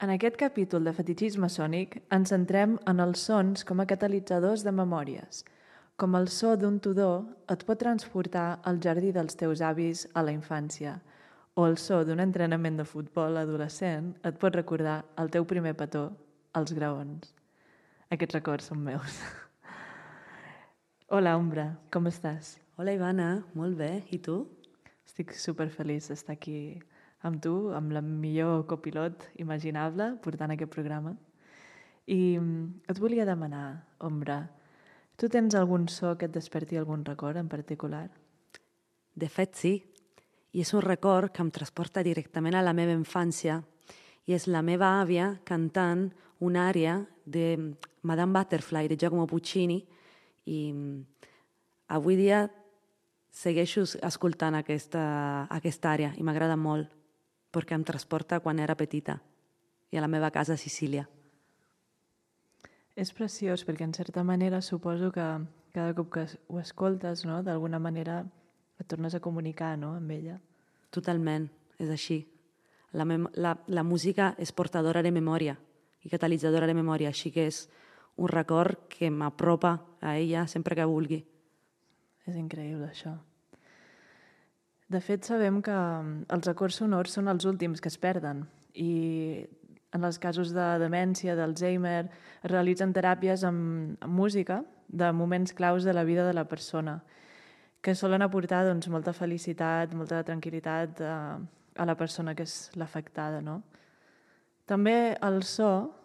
En aquest capítol de Fetichisme Sònic ens centrem en els sons com a catalitzadors de memòries. Com el so d'un tudor et pot transportar al jardí dels teus avis a la infància, o el so d'un entrenament de futbol adolescent et pot recordar el teu primer petó als graons. Aquests records són meus. Hola, Ombra, com estàs? Hola, Ivana, molt bé. I tu? Estic superfeliç d'estar aquí amb tu, amb la millor copilot imaginable, portant aquest programa. I et volia demanar, Ombra, tu tens algun so que et desperti algun record en particular? De fet, sí. I és un record que em transporta directament a la meva infància i és la meva àvia cantant una àrea de Madame Butterfly de Giacomo Puccini i avui dia segueixo escoltant aquesta àrea i m'agrada molt perquè em transporta quan era petita i a la meva casa a Sicília. És preciós perquè, en certa manera, suposo que cada cop que ho escoltes, no, d'alguna manera et tornes a comunicar, no, amb ella. Totalment, és així. La música és portadora de memòria i catalitzadora de memòria, així que és un record que m'apropa a ella sempre que vulgui. És increïble, això. De fet, sabem que els records sonors són els últims que es perden i en els casos de demència, d'Alzheimer, es realitzen teràpies amb música de moments claus de la vida de la persona, que solen aportar doncs, molta felicitat, molta tranquil·litat a la persona que és l'afectada. No? També el so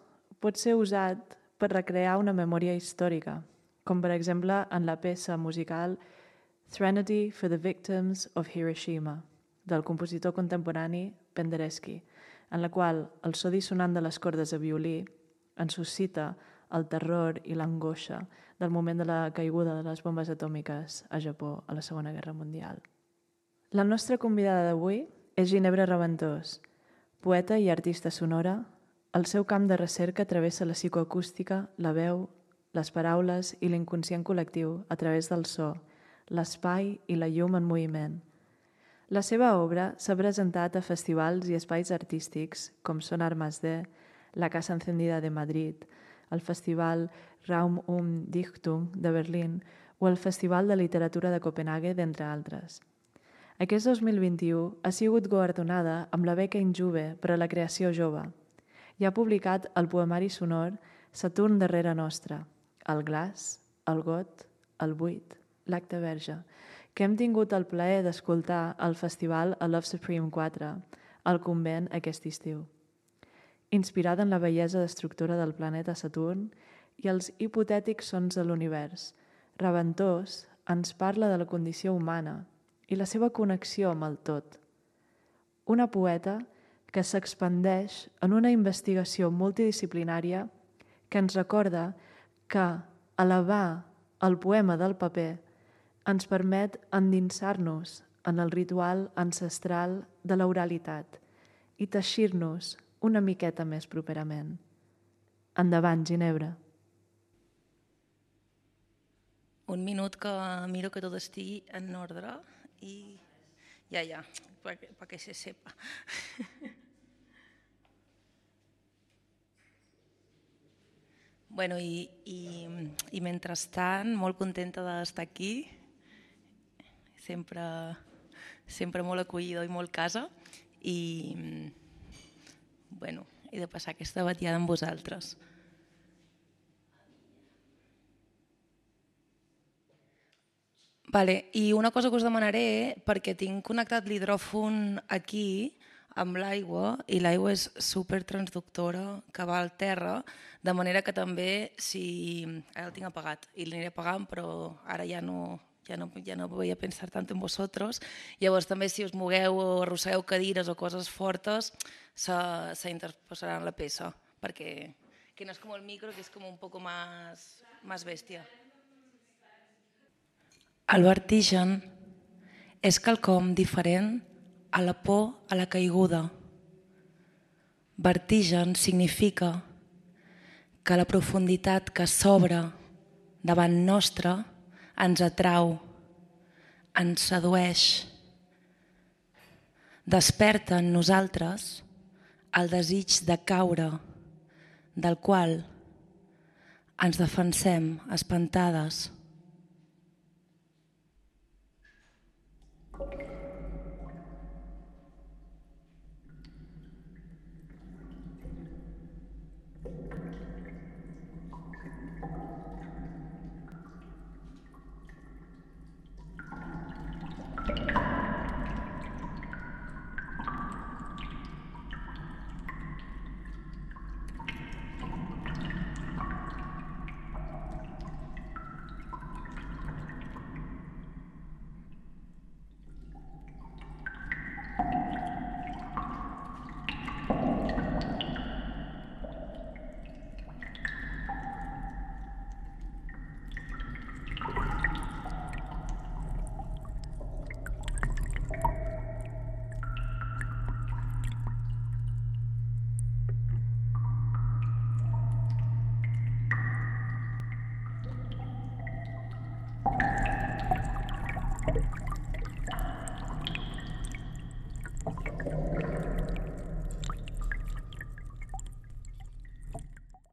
pot ser usat per recrear una memòria històrica, com per exemple en la peça musical Threnody for the Victims of Hiroshima, del compositor contemporani Penderecki, en la qual el so dissonant de les cordes a violí ens suscita el terror i l'angoixa del moment de la caiguda de les bombes atòmiques a Japó a la Segona Guerra Mundial. La nostra convidada d'avui és Ginebra Raventós, poeta i artista sonora. El seu camp de recerca travessa la psicoacústica, la veu, les paraules i l'inconscient col·lectiu a través del so, l'espai i la llum en moviment. La seva obra s'ha presentat a festivals i espais artístics com són Armas D, la Casa Encendida de Madrid, el Festival Raum Dichtung de Berlín o el Festival de Literatura de Copenhague, d'entre altres. Aquest 2021 ha sigut guardonada amb la beca Injuve per a la creació jove i ha publicat el poemari sonor Saturn darrere nostra, el glaç, el got, el buit, l'acte verge, que hem tingut el plaer d'escoltar al festival a Love Supreme 4, al convent aquest estiu. Inspirada en la bellesa destructora del planeta Saturn i els hipotètics sons de l'univers, Raventós ens parla de la condició humana i la seva connexió amb el tot. Una poeta que s'expandeix en una investigació multidisciplinària que ens recorda que elevar el poema del paper ens permet endinsar-nos en el ritual ancestral de l'oralitat i teixir-nos una miqueta més properament. Endavant, Ginebra. Un minut que miro que tot estigui en ordre i ja, perquè se sepa. Bueno, i mentrestant, molt contenta d'estar aquí, sempre molt acollida i molt casa i de passar aquesta batiada amb vosaltres. Vale, i una cosa que us demanaré, perquè tinc connectat l'hidròfon aquí amb l'aigua i l'aigua és supertransductora que va al terra, de manera que també, ara el tinc apagat i l'aniré apagant, però ara ja no voy a pensar tant en vosaltres. Llavors també si us mogueu o arrossegueu cadires o coses fortes s'interposarà en la peça, perquè que no és com el micro, que és com un poco más bèstia. El vertigen és quelcom diferent a la por a la caiguda. Vertigen significa que la profunditat que s'obre davant nostre ens atrau, ens sedueix, desperta en nosaltres el desig de caure, del qual ens defensem espantades.